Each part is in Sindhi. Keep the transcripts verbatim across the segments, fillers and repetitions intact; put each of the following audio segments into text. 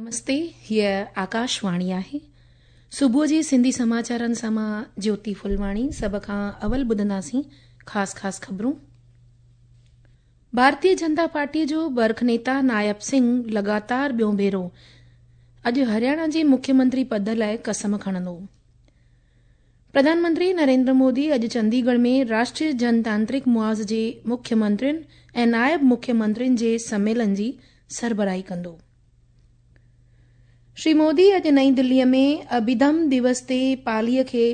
نمستي، هيء آڪاشواڻي آهي. صبح جي سنڌي سماچارن سان مان جيوتي ڦلواڻي. سڀ کان اول ٻڌنداسين خاص خاص خبرون. ڀارتيه جنتا پارٽيء جو برک نيتا نائب سنگهه لڳاتار ٻيون ڀيرو اڄ هرياڻا جي مکيه منتري پد لاءِ قسم کڻندو. پرڌان منتري نريندر مودي اڄ چنديڳڙهه ۾ راشٽريه جنتانترڪ محاذ جي مکيه منترين ۽ نائب مکيه منترين جي سميلن جي سربراهي ڪندو. شري مودي اڄ نئين دليء ۾ اڀيڌم دوس تي پاليء کي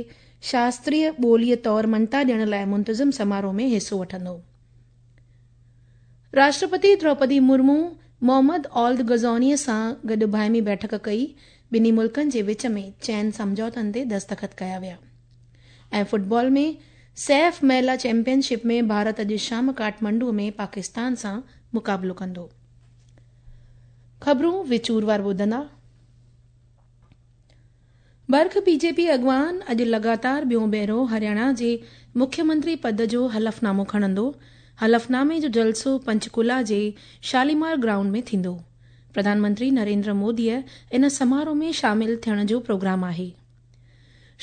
شاستريه ٻوليء طور مڃتا ڏيڻ لاءِ منتظم سماروهه ۾ حصو وٺندو. راشٽرپتي دروپدي مرمو محمد اولد غزونيء سان گڏ باهمي بيٺڪ ڪئي. ٻنهي ملڪن جي وچ ۾ چئن سمجهوتن تي دستخط ڪيا ويا. ۽ فٽبال ۾ سيف مهلا چيمپيئن شپ ۾ ڀارت اڄ شام ڪاٺمانڊو ۾ پاڪستان سان مقابلو ڪندو. خبرون وچور وار ٻڌندا. برک بي جي پي اڳواڻ اڄ لڳاتار ٻيون ڀيرو هرياڻا جي مکيه منتري پد جو حلف نامو کڻندو. حلف نامي جو جلسو پنچڪولا جي شاليمار گرائونڊ ۾ ٿيندو. پرڌان منتري نريندر موديء ان سماروهه ۾ شامل ٿيڻ جو پروگرام آهي.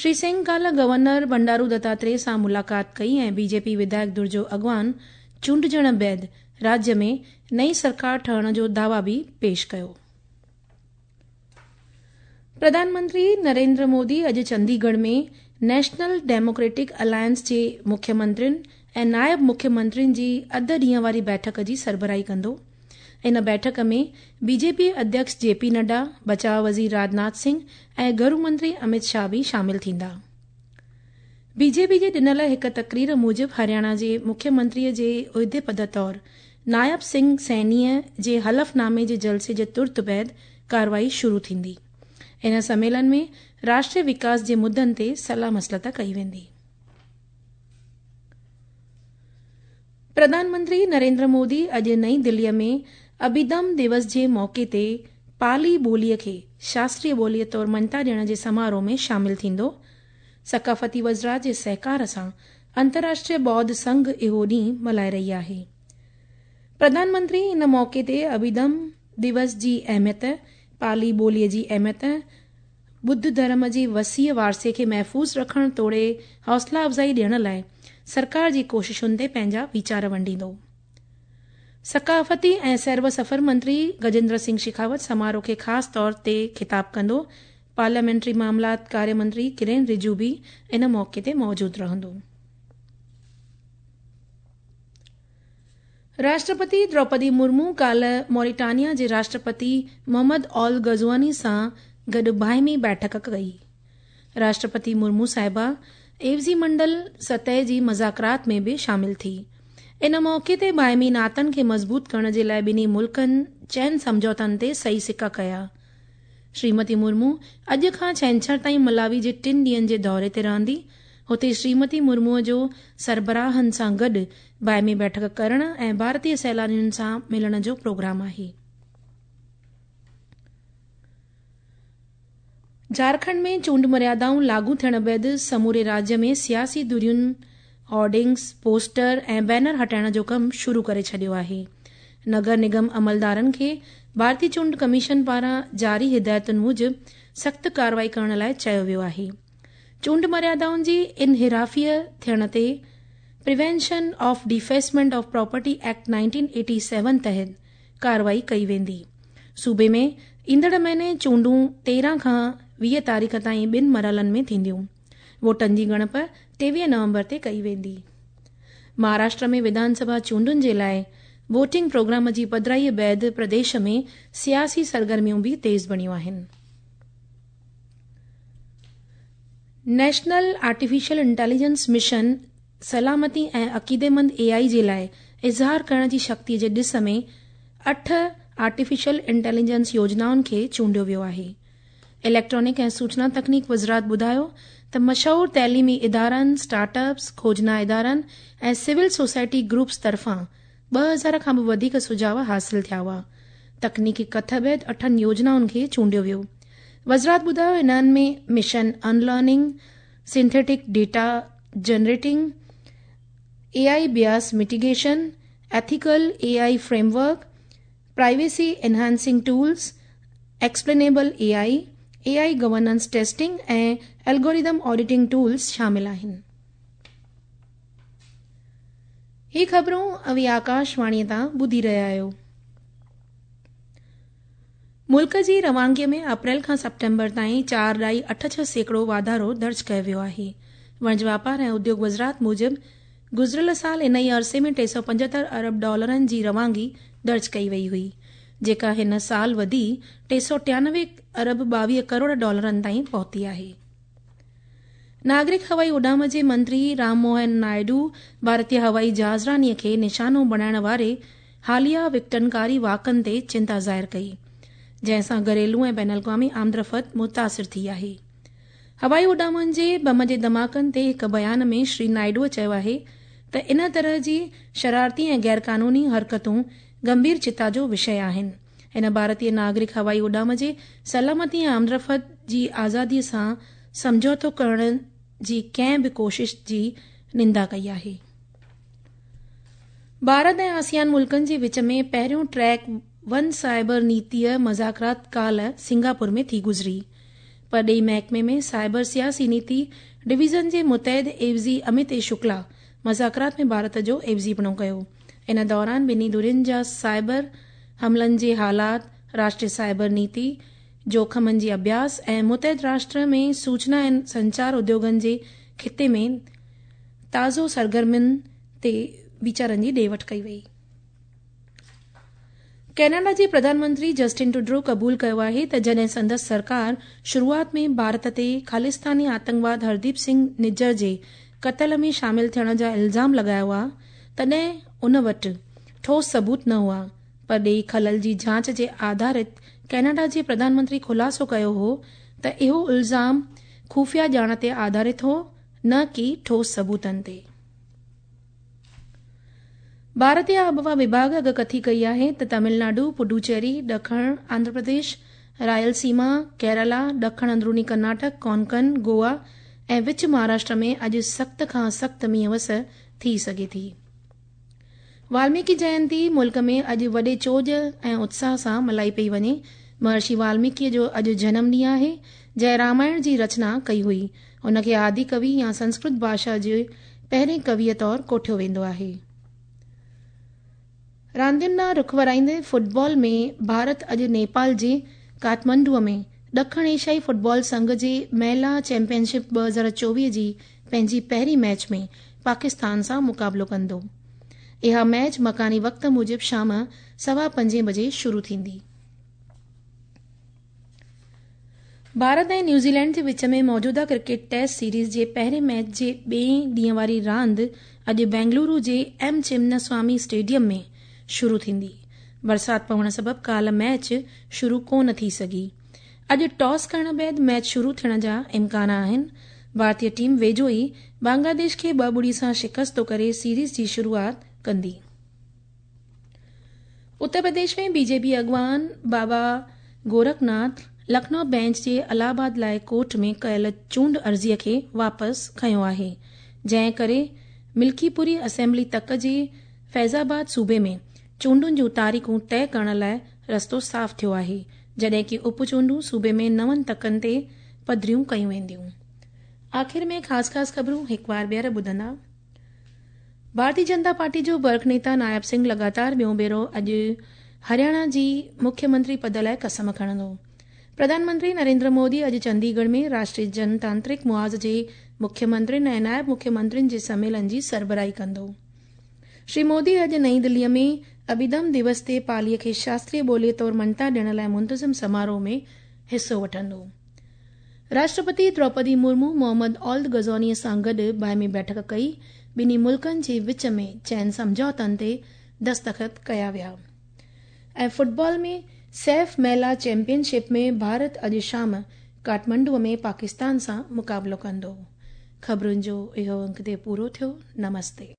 شري سنگهه ڪالهه گورنر بنڊارو دتاتريه سان ملاقات ڪئي ۽ بي جي پي وڌايڪ ڌر جو اڳواڻ چونڊجڻ بعد راجيه ۾ نئين سرڪار ٺهڻ جو دعويٰ به پيش ڪيو. پرڌان منتري نريندر مودي اڄ چنديڳڙهه ۾ نيشنل ڊيموڪريٽڪ الائنس جي مکيه منترين ۽ نائب مکيه منترين جي اڌ ڏينهن واري بيٺڪ جي سربراهي ڪندو. ان بيٺڪ ۾ بي جي پي اڌيڪش جي پي نڊا، بچاء وزير راجناٿ سنگهه ۽ گهرو منتري امت شاهه به شامل ٿيندا. بي جي پي جي ڏنل هڪ تقرير موجب هرياڻا جي مکيه منتريء جي عهدي پد طور نائب سنگهه سينيء جي حلف نامي جي جلسي جي ترت بعد ڪارروائي شروع ٿيندي. ان سميلن ۾ راشٽريه وڪاس جي مدن تي صلاح مسلت ڪئي ويندي. پرڌان منتري نريندر مودي اڄ نئين دليء ۾ اڀيڌم دوس جي موقعي تي پالي ٻوليء کي شاستريه ٻوليء طور مڃتا ڏيڻ جي سماروهه ۾ شامل ٿيندو. ثقافتي وزارت جي سهڪار سان انترراشٽريه ٻوڌ سنگهه اهو ڏينهن ملهائي رهي آهي. پرڌان منتري ان موقعي تي اڀيڌم دوس جي اهميت، پالي ٻوليء جي اهميت، ٻڌ ڌرم جي وسيع وارثي کي محفوظ رکڻ توڙي حوصلا افزائي ڏيڻ لاءِ سرڪار جي ڪوششن تي پنهنجا ويچار ونڊيندو. ثقافتي ۽ سير و سفر منتري گجيندر سنگهه شيخاوت سماروهه کي خاص طور تي خطاب ڪندو. پارليامينٽري معاملات ڪاريه منتري ڪرين رجو به ان موقعي تي موجود رهندو. راشٽرپتي دروپدي مرمو ڪالهه موريٽانيا جي راشٽرپتي محمد اول غزواني سان گڏ باهمي بيٺڪ ڪئي. راشٽرپتي مرمو صاحبه عيوضي منڊل سطح جي مذاڪرات ۾ به شامل ٿي. ان موقعي تي باهمي ناتن کي مضبوط ڪرڻ جي لاءِ ٻنهي ملڪن چئن سمجهوتن تي صحيح سڪا ڪيا. شريمتي مرمو اڄ کان ڇنڇر تائين ملاوي جي ٽن ڏينهن جي دوري تي رهندي. هتي شريمتي مرموءَ جو سربراهن سان گڏ باهمي بيٺڪ ڪرڻ ۽ ڀارتيه سيلانين سان ملڻ جو پروگرام آهي. جهارکنڊ ۾ چونڊ مريادائون لاڳو ٿيڻ بعد سموري راجيه ۾ سياسي ڌرين هورڊنگس، پوسٽر ۽ بينر هٽائڻ جو ڪم شروع ڪري ڇڏيو آهي. نگر نگم عملدارن کي ڀارتيه چونڊ ڪميشن پاران جاري هدايتن موجب سخت ڪارروائي ڪرڻ لاءِ چيو ويو آهي. چونڊ مريادائن جي انحرافيء ٿيڻ تي prevention of defacement of property act nineteen eighty seven تحت ڪارروائي ڪئي ويندي. صوبي ۾ ايندڙ مهيني چونڊون تيرهن کان ويهه تاريخ تائين ٻن مرحلن ۾ ٿينديون. ووٽن جي ڳڻپ ٽيويهه نومبر تي ڪئي ويندي. مهاراشٽر ۾ وڌان سڀا چونڊن جي لاءِ ووٽنگ پروگرام جي پڌرائيءَ بعد پرديش ۾ سياسي سرگرميون به تيز بڻيون آهن. نيشنل آرٽيفيشل انٽيليجنس مشن سلامتي ۽ عقيديمند اي آءِ جي لاءِ اظهار ڪرڻ جي شڪتيءَ جي ڏس ۾ اٺ آرٽيفيشل انٽيليجنس يوجنائن کي چونڊيو ويو آهي. اليڪٽرانڪ ۽ سوچنا تڪنيڪ وزارت ٻڌايو ته مشهور تعليمي ادارن، اسٽارٽ اپس، کوجنا ادارن ۽ سول سوسائٽي گروپس طرفان ٻه هزار کان به وڌيڪ سجهاءُ حاصل ٿيا هئا. تڪنيڪي ڪٿ بعد اٺن يوجنائن کي چونڊيو ويو. وزارت ٻڌايو انهن ۾ mission unlearning, synthetic data generating, A I bias mitigation, ethical A I framework, privacy enhancing tools, Explainable A I, A I governance testing ۽ algorithm auditing tools شامل آهن. هي خبرون اوهين آڪاشواڻيء تان ٻڌي رهيا آهيو. ملڪ جي روانگيء ۾ اپريل کان سيپٽمبر تائين چار ڏهائي اٺ ڇهه سيڪڙو واڌارو درج ڪيو ويو آهي. وڻج واپار ۽ اديوگ وزارت موجب گذريل سال ان ئي عرصي ۾ ٽي سؤ پنجهتر ارب ڊالرن جي روانگي درج ڪئي وئي هئي، جيڪا هن سال وڌي ٽي سؤ ٽيانوي ارب ٻاويهه ڪروڙ ڊالرن تائين پهتي آهي. ناگرڪ هوائي اڏام جي منتري رام موهن نائيڊو ڀارتي هوائي جهازرانيء کي نشانو بڻائڻ واري حاليه وڪٽنڪاري واقعن تي چنتا ظاهر ڪئي، جنهن سان گهريلو ۽ بين الاقوامي آمدرفت متاثر ٿي آهي. هوائي اڏامن جي بم جي ڌماڪن تي هڪ بيان ۾ شري نائيڊوء چيو آهي ته ان طرح جي شرارتي ۽ غيرقانوني حرڪتون گنڀير چنتا جو وشي آهن. هن ڀارتي ناگرڪ هوائي اڏام جي سلامتي ۽ آمدرفت جي آزاديء سان سمجهوتو ڪرڻ جي ڪنهن به ڪوشش جي نندا ڪئي آهي. ڀارت ۽ آسيان ملڪن جي وچ ۾ پهريون ٽريڪ ون سائبر نيتيء مذاڪرات ڪالهه سنگاپور ۾ ٿي گذري. پرڏيهي محڪمي ۾ سائبر سياسي نيتي ڊويزن جي متحد عيوضي امت اي شڪلا مذاڪرات ۾ ڀارت جو عيوضيپڻو ڪيو. ان دوران ٻنهي ڌرين جا سائبر حملن جي حالات، راشٽريه سائبر نيتي، جوکمن جي اڀياس ۽ متحد راشٽر ۾ سوچنا ۽ سنچار اديوگن جي خطي ۾ تازو سرگرمين تي ويچارن جي ڏي وٺ ڪئي وئي. ڪئناڊا جي پرڌان منتري جسٽن ٽروڊو قبول ڪيو آهي ته جڏهن سندس سرڪار شروعات ۾ ڀارت تي خالصتاني آتنڪواد هرديپ سنگهه نجر جي قتل ۾ شامل ٿيڻ جا الزام لڳايا هئا، تڏهن ان وٽ ٺوس ثبوت نه هئا. پرڏيهي خلل جي جاچ جي آڌارت ڪئناڊا جي پرڌان منتري خلاصو ڪيو هو ته اهو الزام خفيه ڄاڻ تي آڌارت هو، نه ڪي ٺوس ثبوتن تي. ڀارتي آبهوا وڀاڳ اڳڪٿي ڪئي آهي ته تامل ناڊو، پڊوچيري، ڏکڻ آنڌرا پرديش، رائل سيما، ڪيرالا، ڏکڻ اندروني ڪرناٽڪ، ڪونڪن، گوا ۽ وچ مهاراشٽر ۾ اڄ سخت کان سخت مينهن وس ٿي سگهي ٿي. والميڪي جينتي ملڪ ۾ اڄ وڏي چوڄ ۽ اتساهه سان ملهائي پئي وڃي. مهرشي والميڪيء جو اڄ جنم ڏينهن آهي، جنهن رامائڻ جي رچنا ڪئي هئي. هن کي آدي ڪوي يا سنسڪرت ڀاشا جي پهرين ڪويء طور ڪوٺيو ويندو آهي. راندين ڏانهن رخ ورائيندي فٽبال ۾ ڀارت اڄ نيپال جي ڪاٺمانڊوء ۾ ڏکڻ ايشيائي فٽبال سنگهه جي مهلا چيمپيئن شپ ٻه هزار چوويهه جي پنهنجي پهرين ميچ ۾ پاڪستان سان مقابلو ڪندو. اها ميچ مڪاني وقت موجب شام سوا پنجين بجي شروع ٿيندي. ڀارت ۽ نيوزيلينڊ جي وچ ۾ موجوده ڪرڪيٽ ٽيسٽ سيريز جي پهرين ميچ جي ٻئي ڏينهن واري راند اڄ بينگلورو جي ايم چمناسوامي اسٽيڊيم ۾ شروع ٿيندي. برسات پوڻ سبب ڪالهه ميچ شروع ڪونه ٿي سگهي. اڄ ٽاس ڪرڻ بعد ميچ شروع ٿيڻ جا امڪان آهن. ڀارتي ٽيم ويجهو ئي بنگلاديش کي ٻه ٻڙي سان شڪست ڪري سيريز جي شروعات ڪندي. اتر پرديش ۾ بي جي پي اڳواڻ بابا گورکناٿ لکنؤ بينچ جي الهه آباد لاءِ ڪورٽ ۾ ڪيل چونڊ عرضيء کي واپس کنيو آهي، جنهن ڪري ملڪيپوري اسيمبلي تڪ جي فيض آباد صوبي ۾ چونڊن جون تاريخون طئي ڪرڻ لاءِ رستو صاف ٿيو آهي، جڏهن ڪه اپ چونڊون صوبي ۾ نون تڪن تي پڌريون ڪيون وينديون. آخر ۾ خاص خاص خبرون هڪ بار ٻيهر ٻڌندا. ڀارتيه جنتا پارٽي جو برک نيتا نائب سنگهه لڳاتار ٻيون ڀيرو اڄ هرياڻا جي مکيه منتري پد لاءِ قسم کڻندو. پرڌان منتري نريندر مودي اڄ چنديڳڙهه ۾ راشٽريه جنتانترڪ محاذ جي مکيه منترين ۽ نائب مکيه منترين جي سميلن جي سربراهي ڪندو. شري مودي اڄ نئين دليءَ ۾ اڀيڌم دوس تي پاليءَ کي شاستريه ٻوليءَ طور مڃتا ڏيڻ لاءِ منتظم سماروهه ۾ حصو وٺندو. راشٽرپتي دروپدي مرمو محمد اولد غزونيءَ سان گڏ باهمي بيٺڪ ڪئي. ٻنهي ملڪن جي وچ ۾ چئن سمجهوتن تي دستخط ڪيا ويا. ۽ فٽبال ۾ سيف مهلا چيمپيئن شپ ۾ ڀارت اڄ شام ڪاٺمانڊوءَ ۾ پاڪستان سان مقابلو ڪندو. خبرن جو اهو انگ تي پورو ٿيو. نمستي.